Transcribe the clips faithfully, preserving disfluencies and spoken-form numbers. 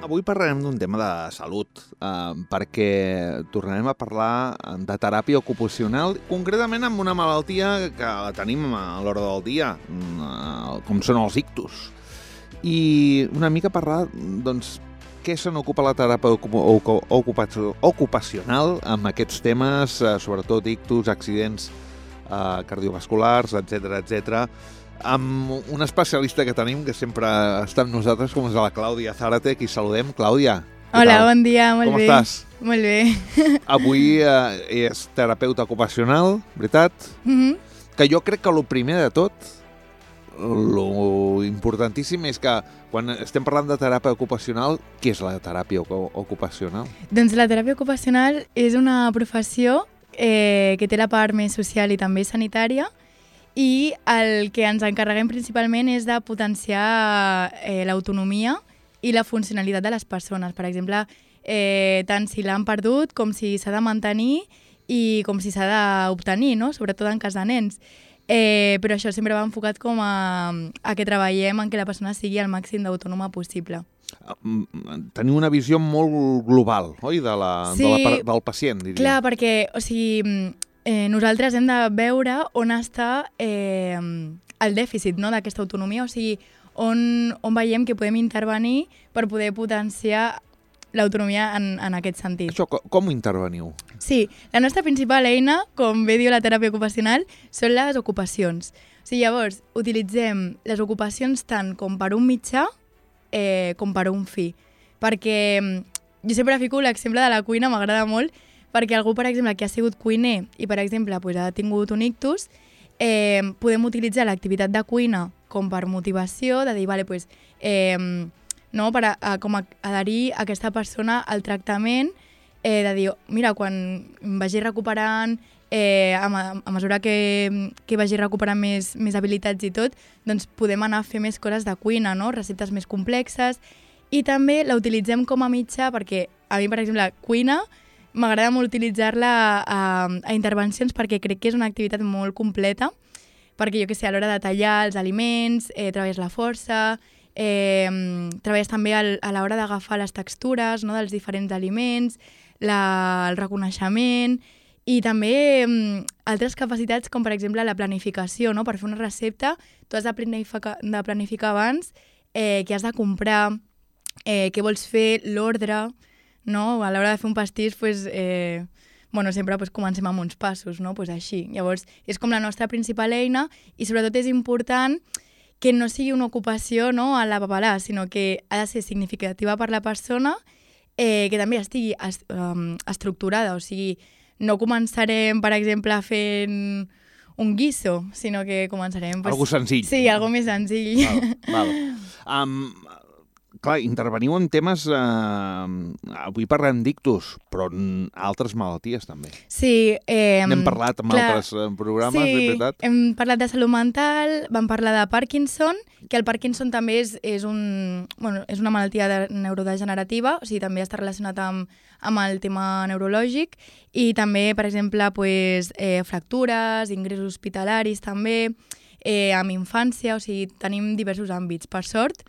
Avui parlarem d'un tema de salut, eh, perquè tornarem a parlar de teràpia ocupacional, concretament amb una malaltia que la tenim a l'hora del dia, eh, com són els ictus. I una mica parlar, doncs, què se n'ocupa la teràpia ocupacional amb aquests temes, eh, sobretot ictus, accidents eh, cardiovasculars, etcètera, etcètera, amb un especialista que tenim, que sempre està amb nosaltres, com és la Clàudia Zárate, qui saludem. Clàudia, què Hola, tal? bon dia, molt Com bé. estàs? Molt bé. Avui eh, és terapeuta ocupacional, veritat? Mm-hmm. Que jo crec que el primer de tot, lo importantíssim és que quan estem parlant de teràpia ocupacional, què és la teràpia ocupacional? Doncs la teràpia ocupacional és una professió eh, que té la part més social i també sanitària, i el que ens encarreguem principalment és de potenciar eh, l'autonomia i la funcionalitat de les persones. Per exemple, eh, tant si l'han perdut com si s'ha de mantenir i com si s'ha d'obtenir, no? Sobretot en cas de nens. Eh, però això sempre va enfocat com a, a que treballem en que la persona sigui el màxim d'autònoma possible. Teniu una visió molt global, oi, de la, sí, de la, del pacient, diria. Clar, perquè o sigui, eh, nosaltres hem de veure on està eh, el dèficit, no?, d'aquesta autonomia, o sigui, on, on veiem que podem intervenir per poder potenciar l'autonomia en, en aquest sentit. Això, com, com interveniu? Sí, la nostra principal eina, com bé diu la teràpia ocupacional, són les ocupacions. O sigui, llavors, utilitzem les ocupacions tant com per un mitjà eh, com per un fi. Perquè jo sempre fico l'exemple de la cuina, m'agrada molt, perquè algú, per exemple, que ha sigut cuiner i, per exemple, pues, ha tingut un ictus, eh, podem utilitzar l'activitat de cuina com per motivació, de dir, vale, pues, eh, no, per a, a, com a adherir a aquesta persona al tractament, eh, de dir, mira, quan vagi recuperant, eh, a, a mesura que, que vagi recuperant més, més habilitats i tot, doncs podem anar a fer més coses de cuina, no? Receptes més complexes, i també la utilitzem com a mitjà perquè a mi, per exemple, cuina, m'agrada molt utilitzar-la a, a intervencions perquè crec que és una activitat molt completa, perquè jo que sé, a l'hora de tallar els aliments, eh, treballes la força, eh, treballes també al, a l'hora d'agafar les textures, no?, dels diferents aliments, la, el reconeixement i també eh, altres capacitats com per exemple la planificació, no?, per fer una recepta tu has de planificar, de planificar abans eh, què has de comprar, eh, què vols fer, l'ordre, no? A l'hora de fer un pastís, pues, eh, bueno, sempre pues, comencem amb uns passos, no? Pues així. Llavors, és com la nostra principal eina i sobretot és important que no sigui una ocupació, no?, a la papalà, sinó que ha de ser significativa per la persona, eh, que també estigui est um, estructurada, o sigui, no començarem, per exemple, fent un guiso, sinó que començarem... Pues, algo senzill. Sí, algo més senzill. Val, val. Um, clar, interveniu en temes... Uh, avui parlem d'ictus, però en altres malalties també. Sí. Eh, N'hem parlat en clar, altres programes, sí, és veritat? hem parlat de salut mental, vam parlar de Parkinson, que el Parkinson també és, és, un, bueno, és una malaltia de, neurodegenerativa, o sigui, també està relacionat amb, amb el tema neurològic, i també, per exemple, pues, eh, fractures, ingressos hospitalaris també, eh, amb infància, o sigui, tenim diversos àmbits. Per sort,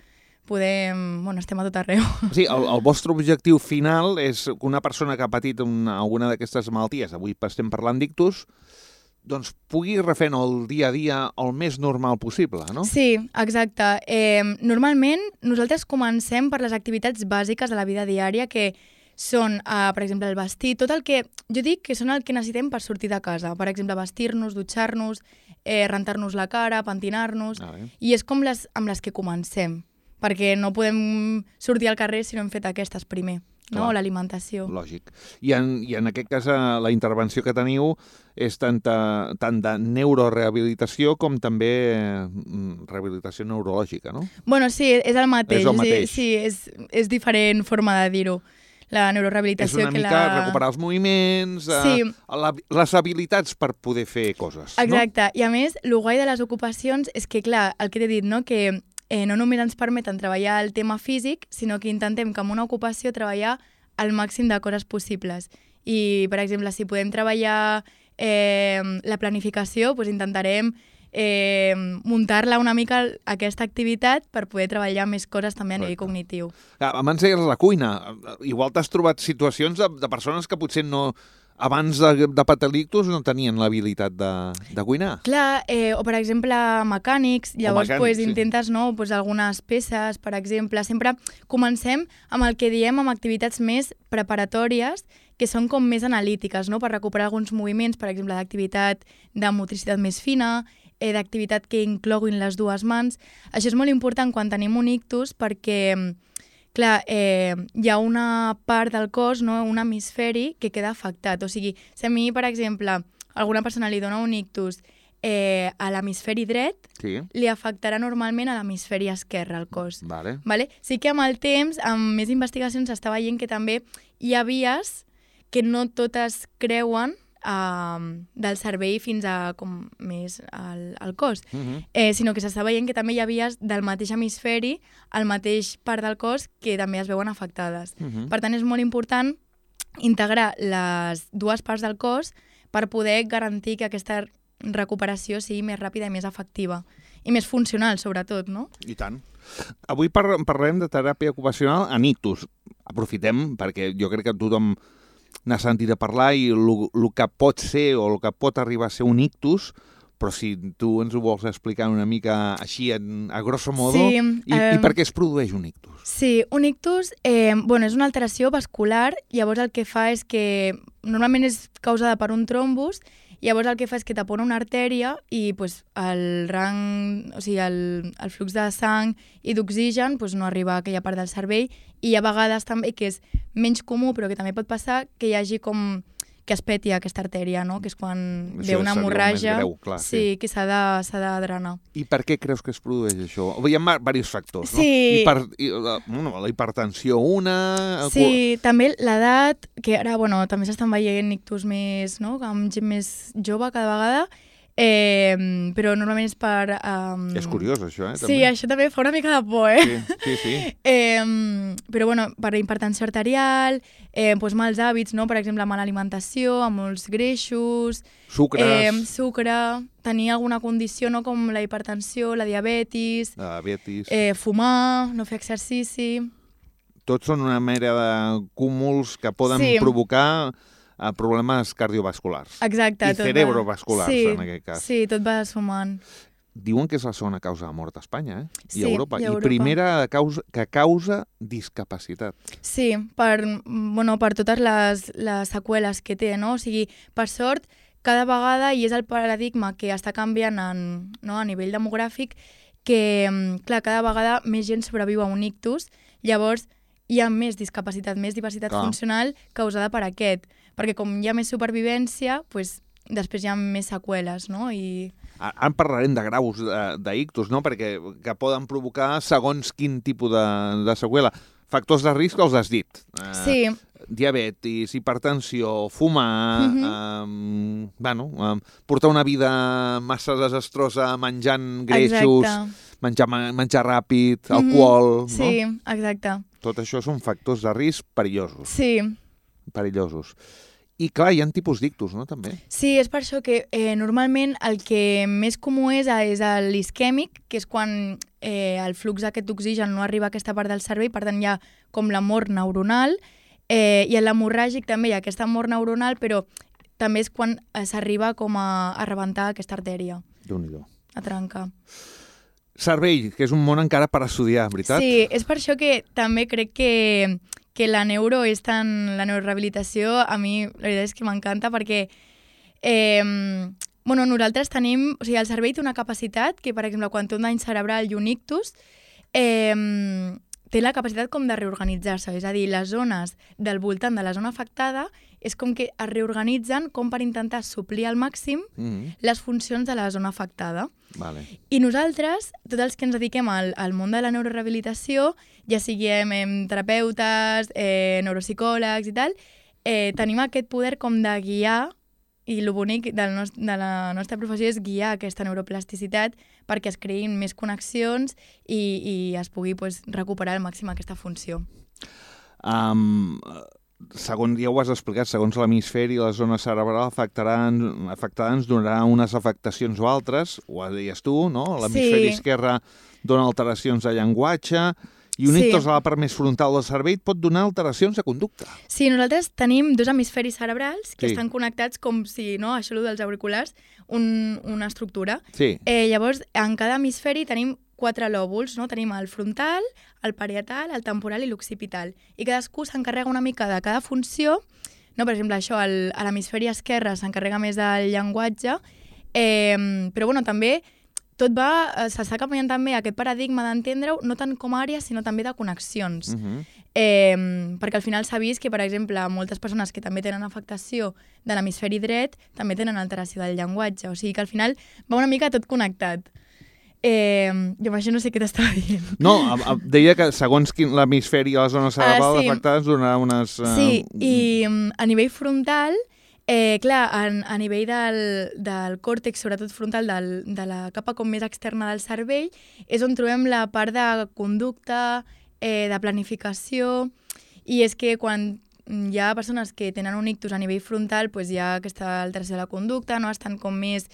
podem... Bueno, estem a tot arreu. Sí, el, el vostre objectiu final és que una persona que ha patit una, alguna d'aquestes malalties, avui estem parlant d'ictus, doncs pugui refer el dia a dia el més normal possible, no? Sí, exacte. Eh, normalment nosaltres comencem per les activitats bàsiques de la vida diària, que són, eh, per exemple, el vestir, tot el que... Jo dic que són el que necessitem per sortir de casa. Per exemple, vestir-nos, dutxar-nos, eh, rentar-nos la cara, pentinar-nos... Ah, i és com les amb les que comencem, perquè no podem sortir al carrer si no hem fet aquestes primer, no? Clar. L'alimentació. Lògic. I en, I en aquest cas la intervenció que teniu és tant, a, tant de neurorehabilitació com també rehabilitació neurològica, no? Bueno, sí, és el mateix. És el mateix. Sí, és, és diferent forma de dir-ho. La neurorehabilitació... És una que mica la... recuperar els moviments, sí. eh, la, les habilitats per poder fer coses, exacte. No? I a més, el guai de les ocupacions és que, clar, el que t'he dit, no?, que eh, no només ens permeten treballar el tema físic, sinó que intentem que en una ocupació treballar el màxim de coses possibles. I, per exemple, si podem treballar eh, la planificació, doncs intentarem eh, muntar-la una mica aquesta activitat per poder treballar més coses també a nivell cognitiu. Abans deies la cuina. Igual t'has trobat situacions de, de persones que potser no... abans de, de patir l'ictus no tenien l'habilitat de, de cuinar. Clar, eh, o per exemple mecànics, llavors mecànics, pues, sí. intentes no, pues, algunes peces, per exemple. Sempre comencem amb el que diem amb activitats més preparatòries, que són com més analítiques, no? Per recuperar alguns moviments, per exemple, d'activitat de motricitat més fina, eh, d'activitat que incloguin les dues mans. Això és molt important quan tenim un ictus perquè... Clar, eh, hi ha una part del cos, no, un hemisferi, que queda afectat. O sigui, si a mi, per exemple, alguna persona li dona un ictus eh, a l'hemisferi dret, sí. li afectarà normalment a l'hemisferi esquerre, al cos. Vale. Vale? Sí que amb el temps, amb més investigacions, s'està veient que també hi ha vies que no totes creuen Uh, del cervell fins a com més al, al cos, uh -huh. eh, sinó que s'està veient que també hi ha vies del mateix hemisferi, al mateix part del cos, que també es veuen afectades. Uh -huh. Per tant, és molt important integrar les dues parts del cos per poder garantir que aquesta recuperació sigui més ràpida i més efectiva. I més funcional, sobretot, no? I tant. Avui par parlem de teràpia ocupacional en ictus. Aprofitem, perquè jo crec que tothom n'ha sentit a parlar i el que pot ser o el que pot arribar a ser un ictus, però si tu ens ho vols explicar una mica així, en, a grosso modo, sí, i, eh, i per què es produeix un ictus? Sí, un ictus eh, bueno, és una alteració vascular, llavors el que fa és que normalment és causada per un trombus, llavors el que fa és que tapona una artèria i pues, el rang, o sigui, el, el flux de sang i d'oxigen pues, no arriba a aquella part del cervell, i hi ha vegades també que és menys comú, però que també pot passar que hi hagi com que es peti aquesta artèria, no? Que és quan això ve una hemorràgia, greu, clar, sí, sí, que s'ha de, s'ha de drenar. I per què creus que es produeix això? Hi ha diversos factors, no? Sí. Hiper, la, bueno, la hipertensió una... Sí, el... també l'edat, que ara bueno, també s'estan veient ictus més, no? Amb gent més jove cada vegada, eh, però normalment és per... Um... És curiós, això, eh? També. Sí, això també fa una mica de por, eh? Sí, sí, sí. eh, però, bueno, per hipertensió arterial, eh, doncs mals hàbits, no? Per exemple, mala alimentació, amb molts greixos... Sucres... Eh, sucre, tenir alguna condició, no? Com la hipertensió, la diabetis... La diabetis... Eh, fumar, no fer exercici... Tots són una mera de cúmuls que poden sí. provocar... a problemes cardiovasculars. Exacte. I cerebrovasculars, sí, en aquest cas. Sí, tot va sumant. Diuen que és la segona causa de mort a Espanya, eh? I sí, a Europa. I a Europa. I primera causa, que causa discapacitat. Sí, per, bueno, per totes les, les seqüeles que té, no? O sigui, per sort, cada vegada, i és el paradigma que està canviant en, no, a nivell demogràfic, que, clar, cada vegada més gent sobreviu a un ictus, llavors hi ha més discapacitat, més diversitat clar. Funcional causada per aquest. Perquè com hi ha més supervivència, pues, després hi ha més seqüeles, no? I... Ara parlarem de graus d'ictus, no? Perquè que poden provocar segons quin tipus de, de seqüela. Factors de risc els has dit. Sí. Eh, diabetis, hipertensió, fumar, uh-huh. eh, bueno, eh, portar una vida massa desastrosa menjant greixos, exacte. menjar, menjar ràpid, uh-huh. alcohol... Sí, no? exacte. Tot això són factors de risc perillosos. Sí. Perillosos. I clar, hi ha tipus d'ictus, no, també? Sí, és per això que eh, normalment el que més comú és, és l'isquèmic, que és quan eh, el flux aquest d'oxigen no arriba a aquesta part del cervell, per tant hi ha com la mort neuronal, eh, i en l'hemorràgic també hi ha aquesta mort neuronal, però també és quan eh, s'arriba com a, a rebentar aquesta artèria. Déu-n'hi-do. A trencar. Cervell, que és un món encara per estudiar, veritat? Sí, és per això que també crec que... que la neuro és tan... la neurorehabilitació a mi la veritat és que m'encanta perquè eh, bueno, nosaltres tenim... O sigui, el cervell té una capacitat que, per exemple, quan té un dany cerebral i un ictus, eh, té la capacitat com de reorganitzar-se. És a dir, les zones del voltant de la zona afectada és com que es reorganitzen com per intentar suplir al màxim mm-hmm. les funcions de la zona afectada. Vale. I nosaltres, tots els que ens dediquem al, al món de la neurorehabilitació, ja siguem eh, terapeutes, eh, neuropsicòlegs i tal, eh, tenim aquest poder com de guiar, i el bonic del nos, de la nostra professió és guiar aquesta neuroplasticitat perquè es creïn més connexions i, i es pugui pues, recuperar al màxim aquesta funció. Um, segons ja ho has explicat, segons l'hemisferi i la zona cerebral afectaran, afectada ens donarà unes afectacions o altres, ho deies tu, no? L'hemisferi Sí. esquerre dona alteracions de llenguatge i un Sí. ictus a la part més frontal del cervell pot donar alteracions de conducta. Sí, nosaltres tenim dos hemisferis cerebrals que Sí. estan connectats com si, no, això dels auriculars, un, una estructura. Sí. Eh, llavors, en cada hemisferi tenim quatre lòbuls, no? Tenim el frontal, el parietal, el temporal i l'occipital. I cadascú s'encarrega una mica de cada funció. No, per exemple, això, el, a l'hemisferi esquerre s'encarrega més del llenguatge, eh, però bueno, també tot va, eh, s'està canviant també aquest paradigma d'entendre-ho, no tant com a àrees, sinó també de connexions. Uh -huh. Eh, perquè al final s'ha vist que, per exemple, moltes persones que també tenen afectació de l'hemisferi dret també tenen alteració del llenguatge. O sigui que al final va una mica tot connectat. Eh, jo amb això no sé què t'estava dient. No, a, a, deia que segons quin l'hemisferi i la zona cerebral Ah, sí. afectades donarà unes... Uh, Sí, i um, a nivell frontal, eh, clar, a, a nivell del, del còrtex, sobretot frontal, del, de la capa com més externa del cervell, és on trobem la part de conducta, eh, de planificació, i és que quan hi ha persones que tenen un ictus a nivell frontal, pues hi ha aquesta alteració de la conducta, no? Estan com més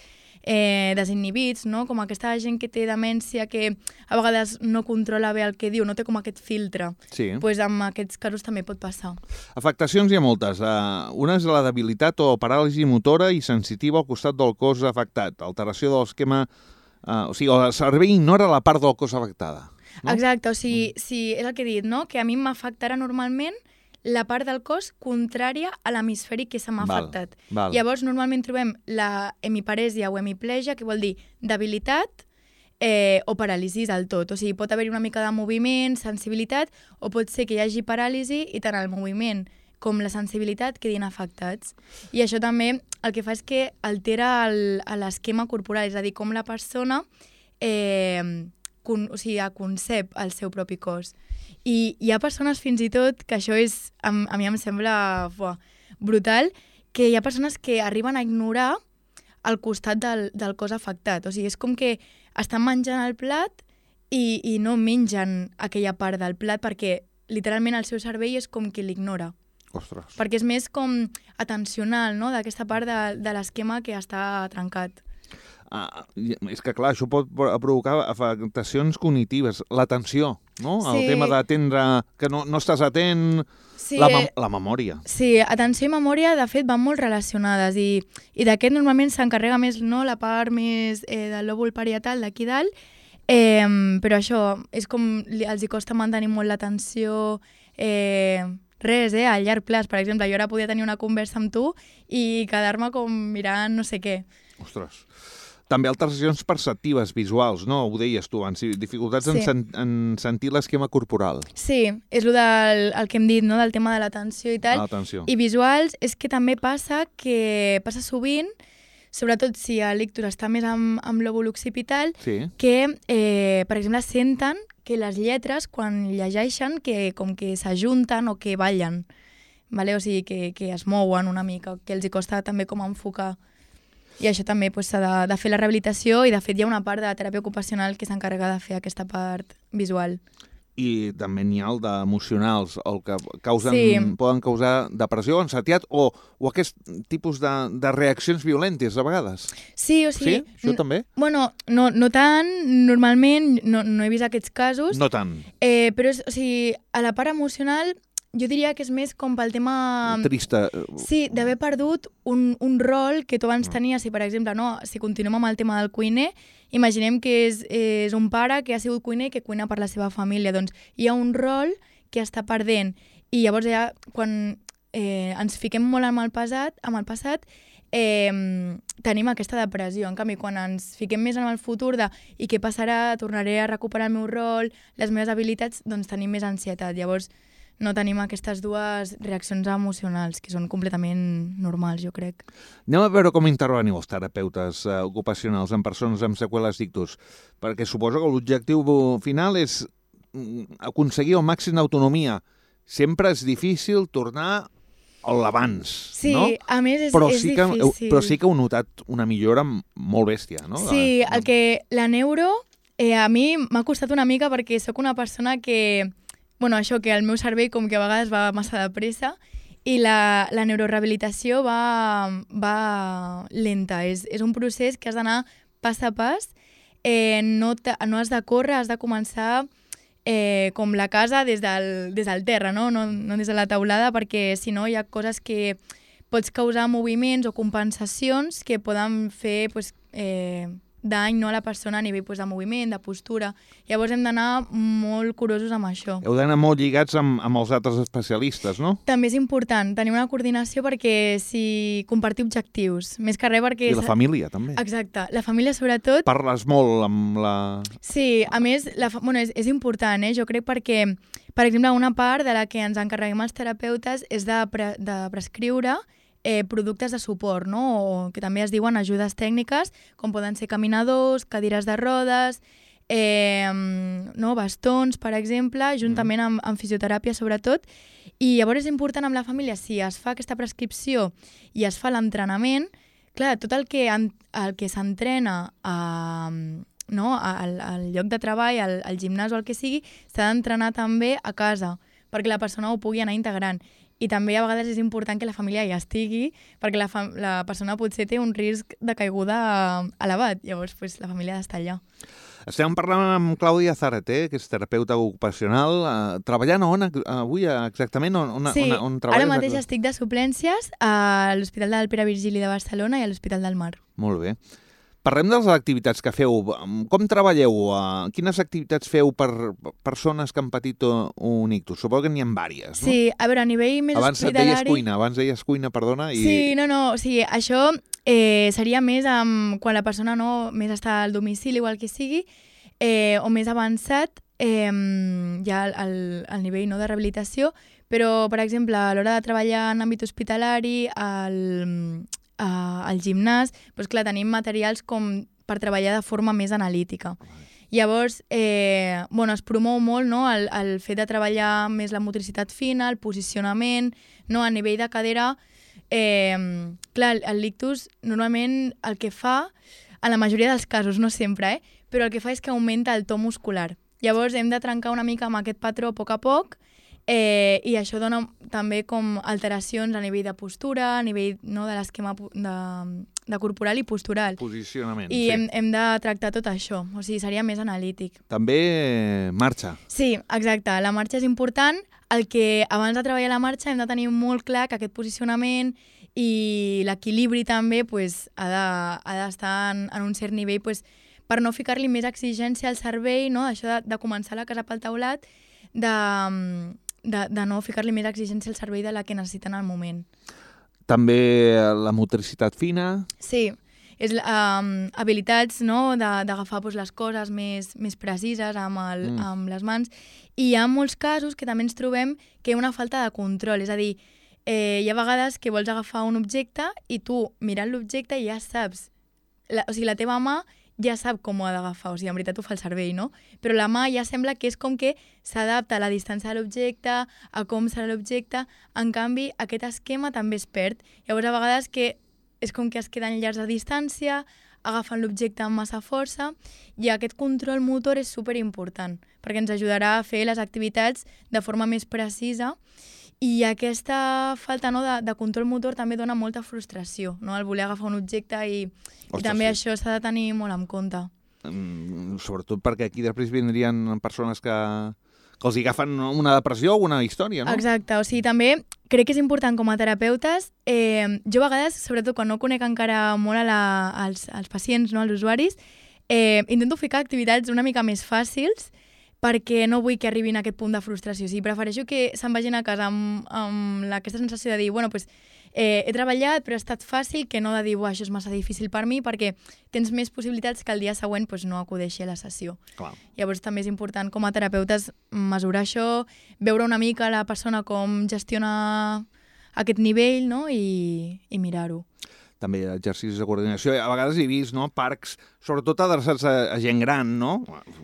eh, desinhibits, no? Com aquesta gent que té demència que a vegades no controla bé el que diu, no té com aquest filtre. Sí. Pues en aquests casos també pot passar. Afectacions hi ha moltes. Uh, una és la debilitat o paràlisi motora i sensitiva al costat del cos afectat. Alteració de l'esquema... Uh, o sigui, el cervell ignora la part del cos afectada. No? Exacte, o sigui, sí, és el que he dit, no? Que a mi m'afectarà normalment la part del cos contrària a l'hemisferi que se m'ha Val, afectat. val. Llavors, normalment trobem la hemiparèsia o hemiplegia, que vol dir debilitat eh, o paràlisi del tot. O sigui, pot haver-hi una mica de moviment, sensibilitat, o pot ser que hi hagi paràlisi i tant el moviment com la sensibilitat quedin afectats. I això també el que fa és que altera el- l'esquema corporal, és a dir, com la persona eh, con, o sigui, concep el seu propi cos. I hi ha persones fins i tot, que això és, a, a mi em sembla buah, brutal, que hi ha persones que arriben a ignorar el costat del, del cos afectat. O sigui, és com que estan menjant el plat i, i no mengen aquella part del plat perquè literalment el seu cervell és com que l'ignora. Ostres. Perquè és més com atencional, no?, d'aquesta part de, de l'esquema que està trencat. Ah, és que, clar, això pot provocar afectacions cognitives. L'atenció, no? Sí. El tema d'atendre, que no, no estàs atent... Sí, La, mem la memòria. Sí, atenció i memòria, de fet, van molt relacionades i, i d'aquest normalment s'encarrega més, no?, la part més eh, del lòbul parietal d'aquí dalt, eh, però això, és com li- els hi costa mantenir molt l'atenció, eh, res, eh, a llarg plaç. Per exemple, jo ara podia tenir una conversa amb tu i quedar-me com mirant no sé què. Ostres. També alteracions perceptives, visuals, no? Ho deies tu abans, dificultats en, Sí. sen en sentir l'esquema corporal. Sí, és el, del, el que hem dit, no?, del tema de l'atenció i tal. Atenció. I visuals és que també passa que passa sovint, sobretot si l'ictus està més amb, amb l'òvul occipital, Sí. que, eh, per exemple, senten que les lletres, quan llegeixen, que com que s'ajunten o que ballen, vale? O sigui, que, que es mouen una mica, que els hi costa també com enfocar. I això també pues, s'ha de, de fer la rehabilitació i, de fet, hi ha una part de la teràpia ocupacional que s'encarrega de fer aquesta part visual. I també n'hi ha el d'emocionals, el que causen, Sí. poden causar depressió, ansietat o, o aquest tipus de, de reaccions violentes, a vegades. Sí, o sigui... Sí? Això també? Bueno, no, no tant, normalment no, no he vist aquests casos, No tant. eh, però és, o sigui, a la part emocional jo diria que és més com pel tema... Trista. Sí, d'haver perdut un, un rol que tu abans tenies. Si, per exemple, no, si continuem amb el tema del cuiner, imaginem que és, és un pare que ha sigut cuiner i que cuina per la seva família. Doncs hi ha un rol que està perdent. I llavors ja, quan eh, ens fiquem molt amb el passat, amb el passat eh, tenim aquesta depressió. En canvi, quan ens fiquem més en el futur de i què passarà, tornaré a recuperar el meu rol, les meves habilitats, doncs tenim més ansietat. Llavors, no tenim aquestes dues reaccions emocionals, que són completament normals, jo crec. Anem a veure com interveniu els terapeutes eh, ocupacionals en persones amb seqüeles d'ictus, perquè suposo que l'objectiu final és mm, aconseguir el màxim d'autonomia. Sempre és difícil tornar a l'abans, Sí, no? a més és, Però és sí, que, difícil. però sí que heu notat una millora molt bèstia, no? Sí, De- el que la neuro eh, a mi m'ha costat una mica perquè sóc una persona que, bueno, això, que el meu cervell com que a vegades va massa de pressa I la, la neurorehabilitació va, va lenta, és, és un procés que has d'anar pas a pas, eh, no, no has de córrer, has de començar eh, com la casa des del, des del terra, no? No, no des de la teulada, perquè si no hi ha coses que pots causar moviments o compensacions que poden fer pues, eh, dany no, a la persona a nivell pues, de moviment, de postura. Llavors hem d'anar molt curosos amb això. Heu d'anar molt lligats amb, amb els altres especialistes, no? També és important tenir una coordinació perquè si compartir objectius, més que res perquè... I la família, també. Exacte. La família, sobretot... Parles molt amb la... Sí, a més, la fa... bueno, és, és important, eh? Jo crec perquè, per exemple, una part de la que ens encarreguem els terapeutes és de, pre... de prescriure Eh, productes de suport, no? O que també es diuen ajudes tècniques, com poden ser caminadors, cadires de rodes, eh, no? bastons, per exemple, juntament amb, amb fisioteràpia, sobretot. I llavors és important amb la família, si es fa aquesta prescripció i es fa l'entrenament, clar, tot el que, el que s'entrena a... no? al, al lloc de treball, al, al gimnàs o el que sigui, s'ha d'entrenar també a casa, perquè la persona ho pugui anar integrant. I també a vegades és important que la família hi estigui, perquè la, fa la persona potser té un risc de caiguda elevat, llavors pues, la família ha d'estar allà. Estem parlant amb Clàudia Zárate, que és terapeuta ocupacional, uh, treballant on avui exactament? On, on, sí, on, on treballes? Ara mateix estic de suplències a l'Hospital del Pere Virgili de Barcelona i a l'Hospital del Mar. Molt bé. Parlem de les activitats que feu. Com treballeu? Quines activitats feu per persones que han patit un ictus? Suposo que n'hi ha diverses, no? Sí, a veure, a nivell més abans hospitalari... Abans deies cuina, abans deies cuina, perdona. I... Sí, no, no, o sigui, això eh, seria més amb, quan la persona no més està al domicili o el que sigui, eh, o més avançat, eh, ja al, al nivell no, de rehabilitació, però, per exemple, a l'hora de treballar en àmbit hospitalari, al... Uh, al gimnàs, doncs clar, tenim materials com per treballar de forma més analítica. Llavors, eh, bueno, es promou molt no, el, el fet de treballar més la motricitat fina, el posicionament, no, a nivell de cadera. Eh, clar, el lictus normalment el que fa, en la majoria dels casos, no sempre, eh, però el que fa és que augmenta el to muscular. Llavors hem de trencar una mica amb aquest patró a poc a poc, Eh, i això dona també com alteracions a nivell de postura, a nivell no, de l'esquema de, de corporal i postural. Posicionament, I sí. hem, hem de tractar tot això, o sigui, seria més analític. També marxa. Sí, exacte, la marxa és important. El que abans de treballar la marxa hem de tenir molt clar que aquest posicionament i l'equilibri també pues, ha d'estar de, en, en un cert nivell pues, per no ficar-li més exigència al cervell, no? Això de, de començar la casa pel taulat, de... De, de no ficar-li més exigència al cervell de la que necessiten al moment. També la motricitat fina? Sí, és um, habilitats no, d'agafar pues, les coses més, més precises amb, el, mm. amb les mans. I hi ha molts casos que també ens trobem que hi ha una falta de control, és a dir, eh, hi ha vegades que vols agafar un objecte i tu, mirant l'objecte, ja saps, la, o sigui, la teva mà ja sap com ho ha d'agafar, o sigui, en veritat ho fa el cervell, no? Però la mà ja sembla que és com que s'adapta a la distància de l'objecte, a com serà l'objecte, en canvi aquest esquema també es perd. Llavors a vegades que és com que es queden llargs de distància, agafen l'objecte amb massa força, i aquest control motor és superimportant, perquè ens ajudarà a fer les activitats de forma més precisa. I aquesta falta no, de, de control motor també dona molta frustració, no? El voler agafar un objecte i, Ostres, i també sí. Això s'ha de tenir molt en compte. Mm, sobretot perquè aquí després vindrien persones que, que els agafen una depressió o una història, no? Exacte, o sigui, també crec que és important com a terapeutes, eh, jo a vegades, sobretot quan no conec encara molt a la, als, als pacients, no, als usuaris, eh, intento ficar activitats una mica més fàcils, perquè no vull que arribin a aquest punt de frustració. O sigui, prefereixo que se'n vagin a casa amb, amb aquesta sensació de dir, bueno, pues, eh, he treballat, però ha estat fàcil, que no de dir, això és massa difícil per mi, perquè tens més possibilitats que el dia següent pues, no acudeixi a la sessió. Clar. Llavors també és important com a terapeutes mesurar això, veure una mica la persona com gestiona aquest nivell, no? I, i mirar-ho. també exercicis de coordinació. A vegades he vist, no?, parcs, sobretot adreçats a, a gent gran, no?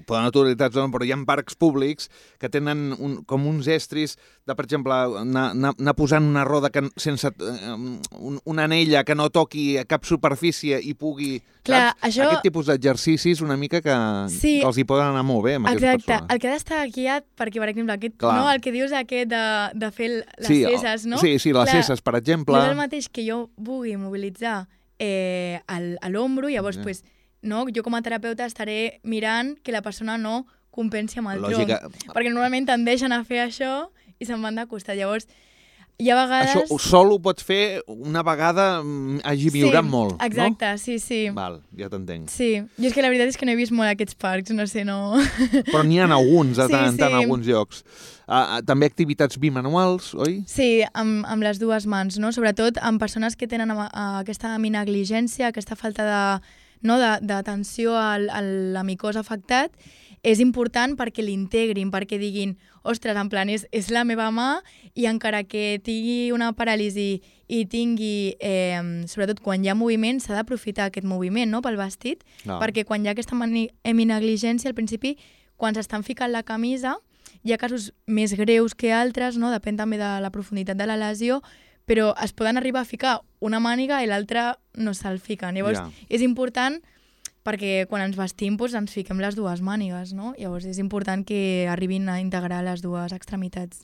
Poden autoritats, no, però hi ha parcs públics que tenen un, com uns estris de, per exemple, anar, anar, anar posant una roda que, sense un, una anella que no toqui a cap superfície i pugui... Clar, saps? això... Aquest tipus d'exercicis una mica que, sí, que els hi poden anar molt bé amb exacte. aquestes persones. El que ha d'estar guiat, perquè, per exemple, aquest, no, el que dius aquest de, de fer les sí, cesses, no? Sí, sí, les Clar, cesses, per exemple. No és el mateix que jo vulgui mobilitzar eh, el, a l'ombro, llavors, yeah. pues, no, jo com a terapeuta estaré mirant que la persona no compensi amb el Lògica. tronc. Perquè normalment tendeixen a fer això i se'n van de costat. Llavors, hi ha vegades... Això sol ho pot fer una vegada hagi viurat sí, molt, exacte, no? sí, sí. Val, ja t'entenc. Sí, jo és que la veritat és que no he vist molt aquests parcs, no sé, no... Però n'hi ha alguns, de tant en sí, tant, sí. alguns llocs. Uh, també activitats bimanuals, oi? Sí, amb, amb les dues mans, no? Sobretot amb persones que tenen uh, aquesta minegligència, aquesta falta de, no, d'atenció al, a la micosa afectat, és important perquè l'integrin, perquè diguin, ostres, en plan, és, és la meva mà i encara que tingui una paràlisi i tingui, eh, sobretot quan hi ha moviment, s'ha d'aprofitar aquest moviment, no?, pel vestit, no. perquè quan hi ha aquesta minegligència, al principi, quan s'estan ficant la camisa, hi ha casos més greus que altres, no?, depèn també de la profunditat de la lesió, però es poden arribar a ficar una màniga i l'altra no se'l fiquen. Llavors, yeah. és important perquè quan ens vestim doncs, ens fiquem les dues mànigues, no? Llavors és important que arribin a integrar les dues extremitats.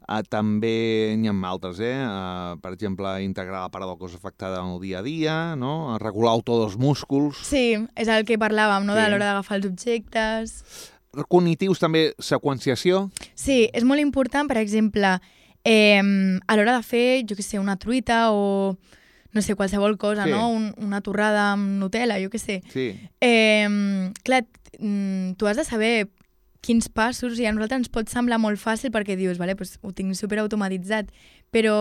Uh, també n'hi ha altres, eh? Uh, per exemple, integrar la part del cos afectada en el dia a dia, no? Regular el to dels músculs... Sí, és el que parlàvem, no? Sí. De l'hora d'agafar els objectes... Cognitius també, seqüenciació? Sí, és molt important, per exemple, eh, a l'hora de fer, jo què sé, una truita o... no sé, qualsevol cosa, sí. no? Un, una torrada amb Nutella, jo què sé. Sí. Eh, clar, tu has de saber quins passos, i a nosaltres ens pot semblar molt fàcil perquè dius, vale, pues, ho tinc superautomatitzat, però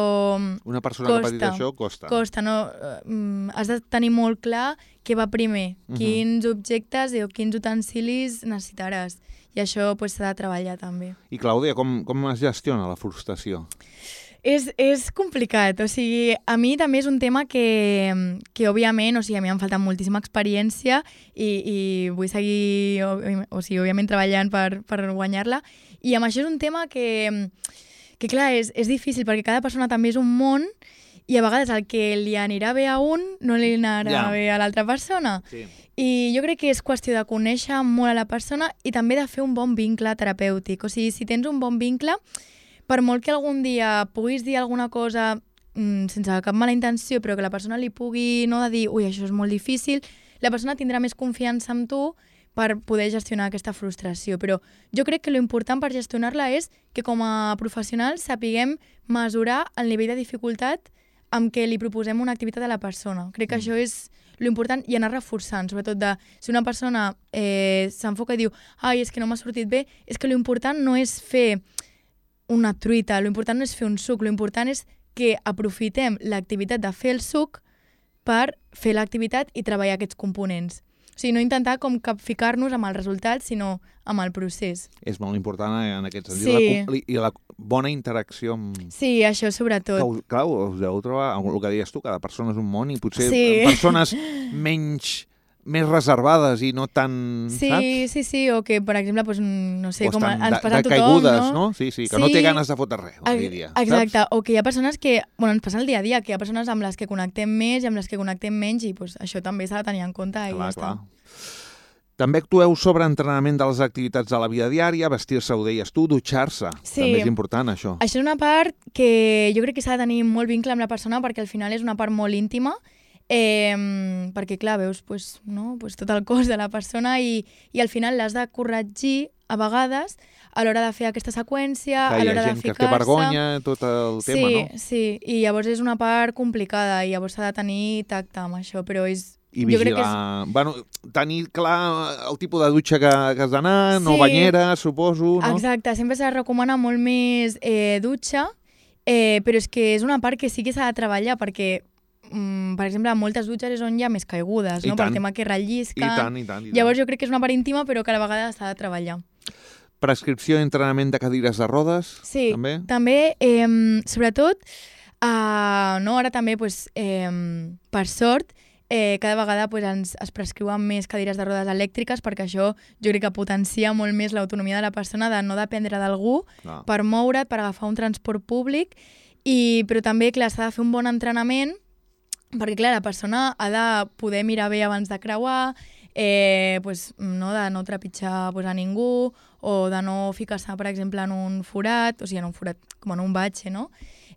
una persona costa, que ha patit això costa. Costa, no? Uh, has de tenir molt clar què va primer, uh-huh. quins objectes o quins utensilis necessitaràs. I això s'ha pues, de treballar també. I Clàudia, com, com es gestiona la frustració? És, és complicat, o sigui, a mi també és un tema que, que òbviament, o sigui, a mi em falta moltíssima experiència i, i vull seguir, o, o sigui, òbviament treballant per, per guanyar-la, i amb això és un tema que, que clar, és, és difícil perquè cada persona també és un món i a vegades el que li anirà bé a un no li anarà yeah. bé a l'altra persona. Sí. I jo crec que és qüestió de conèixer molt a la persona i també de fer un bon vincle terapèutic, o sigui, si tens un bon vincle, per molt que algun dia puguis dir alguna cosa mmm, sense cap mala intenció, però que la persona li pugui no de dir, ui, això és molt difícil, la persona tindrà més confiança en tu per poder gestionar aquesta frustració. Però jo crec que l'important per gestionar-la és que com a professionals sapiguem mesurar el nivell de dificultat amb què li proposem una activitat a la persona. Crec que mm. això és l'important i anar reforçant, sobretot de si una persona eh, s'enfoca i diu, ai, és que no m'ha sortit bé, és que l'important no és fer una truita, l'important no és fer un suc, l'important és que aprofitem l'activitat de fer el suc per fer l'activitat i treballar aquests components. O sigui, no intentar com capficar-nos amb el resultat, sinó amb el procés. És molt important en aquest sentit. Sí. I la bona interacció amb... Sí, això sobretot. Clar, clar, us heu trobar, el que deies tu, cada persona és un món i potser sí. persones menys... més reservades i no tan... Sí, saps? sí, sí, o que, per exemple, doncs, no sé, o com ens de, passa a tothom, caigudes, no? no? Sí, sí, que sí. no té ganes de fotre res, el dia a dia. Exacte, saps? O que hi ha persones que, bueno, ens passa el dia a dia, que hi ha persones amb les que connectem més i amb les que connectem menys i pues, això també s'ha de tenir en compte i clar, ja clar. està. També actueu sobre entrenament de les activitats de la vida diària, vestir-se, ho deies tu, dutxar-se. Sí. També és important, això. Això és una part que jo crec que s'ha de tenir molt vincle amb la persona perquè al final és una part molt íntima. Eh, perquè clar, veus pues, no? pues tot el cos de la persona i, i al final l'has de corregir a vegades a l'hora de fer aquesta seqüència, clar, a l'hora de ficar-se. Hi ha gent que té vergonya, tot el sí, tema, no? Sí, i llavors és una part complicada i llavors s'ha de tenir tacte amb això, però és... I vigilar, jo crec que és... bueno, tenir clar el tipus de dutxa que, que has d'anar, sí. no banyera, suposo, no? Exacte, sempre s'ha de recomanar molt més eh, dutxa, eh, però és que és una part que sí que s'ha de treballar perquè Mm, per exemple, en moltes dutxes és on hi ha més caigudes, no? Pel tema que rellisquen. I tant, i tant, i tant. Llavors jo crec que és una part íntima, però que a la vegada s'ha de treballar. Prescripció i entrenament de cadires de rodes? Sí, també, també eh, sobretot Uh, no, ara també, pues, eh, per sort, eh, cada vegada pues, ens, es prescriuen més cadires de rodes elèctriques perquè això jo crec que potencia molt més l'autonomia de la persona de no dependre d'algú ah. per moure't, per agafar un transport públic, i, però també, clar, s'ha de fer un bon entrenament perquè, clar, la persona ha de poder mirar bé abans de creuar, eh, pues, no, de no trepitjar pues, a ningú, o de no ficar-se, per exemple, en un forat, o sigui, en un forat, com en un batxe, no?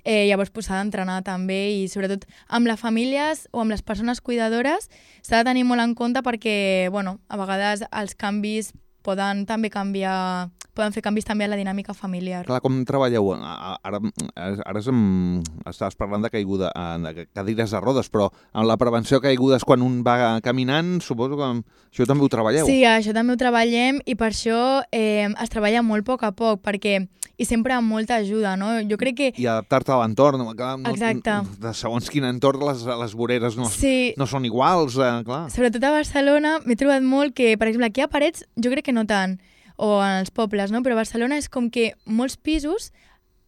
Eh, llavors pues, s'ha d'entrenar també, i sobretot amb les famílies o amb les persones cuidadores s'ha de tenir molt en compte perquè, bueno, a vegades els canvis poden també canviar, poden fer canvis també a la dinàmica familiar. Clar, com treballeu? Ara, ara em, estaves parlant de caiguda, de cadires de rodes, però amb la prevenció de caigudes quan un va caminant, suposo que això també ho treballeu. Sí, això també ho treballem, i per això eh, es treballa molt a poc a poc, perquè i sempre amb molta ajuda, no? Jo crec que... I adaptar-te a l'entorn. Exacte. De segons quin entorn les, les voreres no, sí. no són iguals, eh, clar. Sobretot a Barcelona m'he trobat molt que, per exemple, aquí a Parets jo crec que no tant, o en els pobles, no? Però a Barcelona és com que molts pisos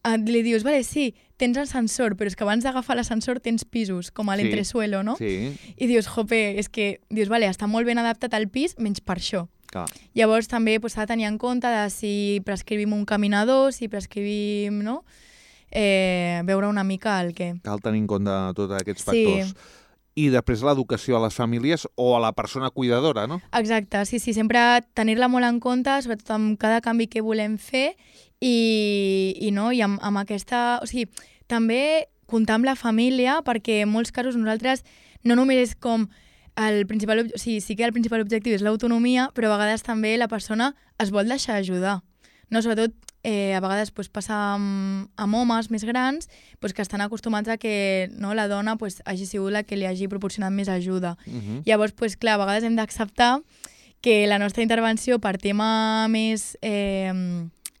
eh, li dius, vale, sí, tens ascensor, però és que abans d'agafar l'ascensor tens pisos, com a l'entresuelo, no? Sí. I dius, jope, és que, dius, vale, està molt ben adaptat al pis, menys per això. Clar. Llavors també s'ha pues, de tenir en compte de si prescrivim un caminador, si prescrivim, no? Eh, veure una mica el que... Cal tenir en compte tots aquests factors. Sí. I després l'educació a les famílies o a la persona cuidadora, no? Exacte, sí, sí, sempre tenir-la molt en compte, sobretot amb cada canvi que volem fer, i, i, no, i amb, amb aquesta... O sigui, també comptar amb la família, perquè en molts casos nosaltres no només és com... El principal, o sigui, sí que el principal objectiu és l'autonomia, però a vegades també la persona es vol deixar ajudar. No? Sobretot, eh, a vegades pues, passa amb, amb homes més grans pues, que estan acostumats a que no, la dona pues, hagi sigut la que li hagi proporcionat més ajuda. Uh-huh. Llavors, pues, clar, a vegades hem d'acceptar que la nostra intervenció per tema més eh,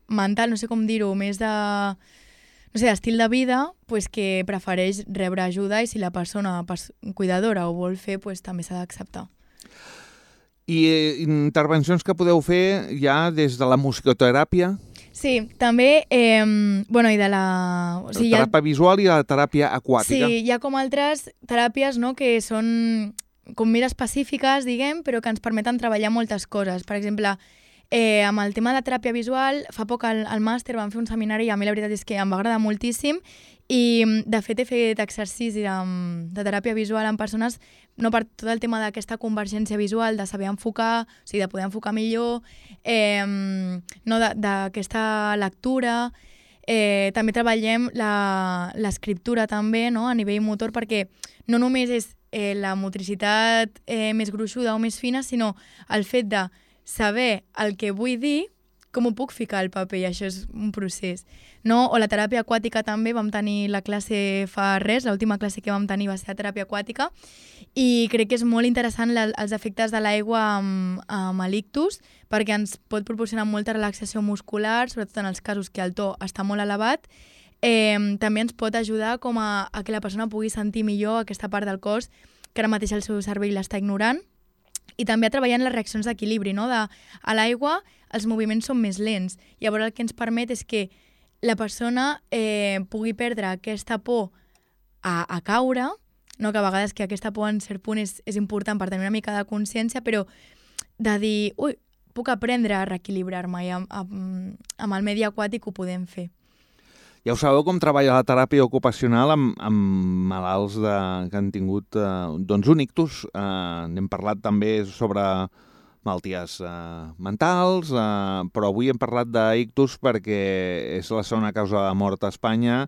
mental, no sé com dir-ho, més de... no sé, estil de vida, pues, que prefereix rebre ajuda, i si la persona cuidadora ho vol fer, pues, també s'ha d'acceptar. I eh, intervencions que podeu fer ja des de la musicoteràpia? Sí, també, eh, bueno, i de la... O sigui, la teràpia ha... visual i la teràpia aquàtica. Sí, hi ha com altres teràpies, no?, que són com més específiques, diguem, però que ens permeten treballar moltes coses. Per exemple, Eh, amb el tema de teràpia visual, fa poc al, al màster vam fer un seminari i a mi la veritat és que em va agradar moltíssim, i de fet he fet exercici de, de teràpia visual amb persones no per tot el tema d'aquesta convergència visual, de saber enfocar, o sigui, de poder enfocar millor, eh, no, d'aquesta lectura. Eh, també treballem l'escriptura també, no?, a nivell motor, perquè no només és eh, la motricitat eh, més gruixuda o més fina, sinó el fet de saber el que vull dir, com ho puc ficar al paper, i això és un procés. No? O la teràpia aquàtica també, vam tenir la classe fa res, l'última classe que vam tenir va ser la teràpia aquàtica, i crec que és molt interessant la, els efectes de l'aigua amb, amb l'ictus, perquè ens pot proporcionar molta relaxació muscular, sobretot en els casos que el to està molt elevat. Eh, també ens pot ajudar com a, a que la persona pugui sentir millor aquesta part del cos que ara mateix el seu cervell l'està ignorant. I també a treballar en les reaccions d'equilibri, no? De, a l'aigua els moviments són més lents. Llavors el que ens permet és que la persona eh, pugui perdre aquesta por a, a caure, no? Que a vegades que aquesta por en cert punt és, és important per tenir una mica de consciència, però de dir, ui, puc aprendre a reequilibrar-me, i amb, amb, amb el medi aquàtic ho podem fer. Ja ho sabeu com treballa la teràpia ocupacional amb, amb malalts de, que han tingut eh, doncs un ictus. Eh, n'hem parlat també sobre malalties eh, mentals, eh, però avui hem parlat d'ictus perquè és la segona causa de mort a Espanya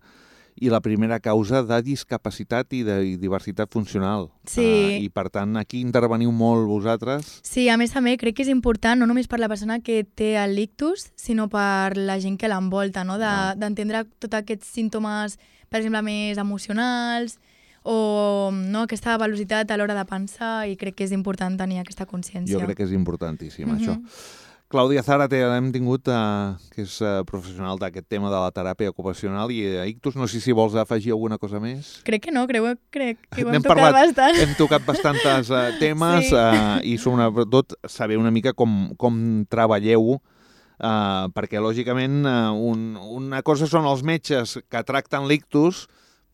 i la primera causa de discapacitat i de diversitat funcional. Sí. Uh, I, per tant, aquí interveniu molt vosaltres. Sí, a més també crec que és important, no només per la persona que té l'ictus, sinó per la gent que l'envolta, no? D'entendre de, tots aquests símptomes, per exemple, més emocionals, o no, aquesta velocitat a l'hora de pensar, i crec que és important tenir aquesta consciència. Jo crec que és importantíssim, mm-hmm. això. Clàudia Zárate l'hem tingut, eh, que és eh, professional d'aquest tema de la teràpia ocupacional i eh, ictus. No sé si vols afegir alguna cosa més. Crec que no, crec, crec que ho hem hem tocat parlat, bastant. Hem tocat bastants eh, temes sí. eh, i sobretot saber una mica com, com treballeu, eh, perquè lògicament eh, un, una cosa són els metges que tracten l'ictus,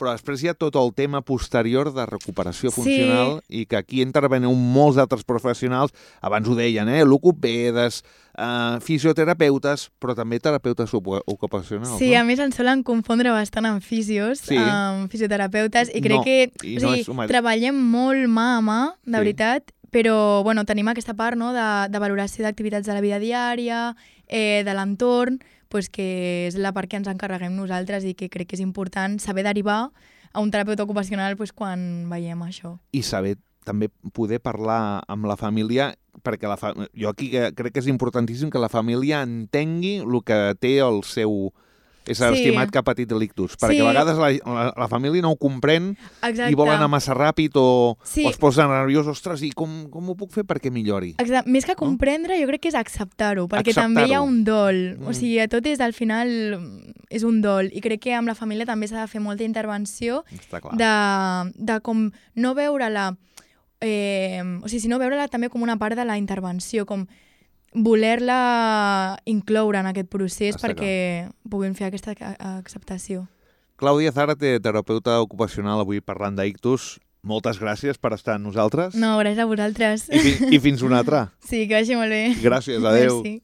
però després hi ha tot el tema posterior de recuperació Sí. funcional i que aquí intervenen molts altres professionals, abans ho deien, eh? logopedes, eh, fisioterapeutes, però també terapeutes ocu- ocupacionals, Sí, no? a més ens solen confondre bastant amb fisios, Sí. amb fisioterapeutes, i crec No, que i o no sigui, és el mateix. treballem molt mà a mà, de Sí. veritat, però bueno, tenim aquesta part, no?, de, de valoració d'activitats de la vida diària, eh, de l'entorn, pues, que és la part que ens encarreguem nosaltres i que crec que és important saber derivar a un terapeuta ocupacional pues, quan veiem això. I saber també poder parlar amb la família, perquè la fa... jo aquí que- crec que és importantíssim que la família entengui el que té el seu ésser Sí. estimat que ha patit l'ictus, perquè Sí. a vegades la, la, la família no ho comprèn Exacte. i vol anar massa ràpid o, Sí. o es posa nerviós, ostres, i com, com ho puc fer perquè millori? Exacte. Més que comprendre, jo crec que és acceptar-ho, perquè Acceptar-ho. també hi ha un dol. Mm. O sigui, tot és, al final, és un dol. I crec que amb la família també s'ha de fer molta intervenció Està clar. de, de com no veure-la... Eh, o sigui, sinó veure-la també com una part de la intervenció, com voler-la incloure en aquest procés Està perquè puguin fer aquesta a- acceptació. Clàudia Zárate, terapeuta ocupacional, avui parlant d'ictus. Moltes gràcies per estar amb nosaltres. No, gràcies a vosaltres. I, fi, I fins una altra. Sí, que vagi molt bé. Gràcies, adeu. Merci.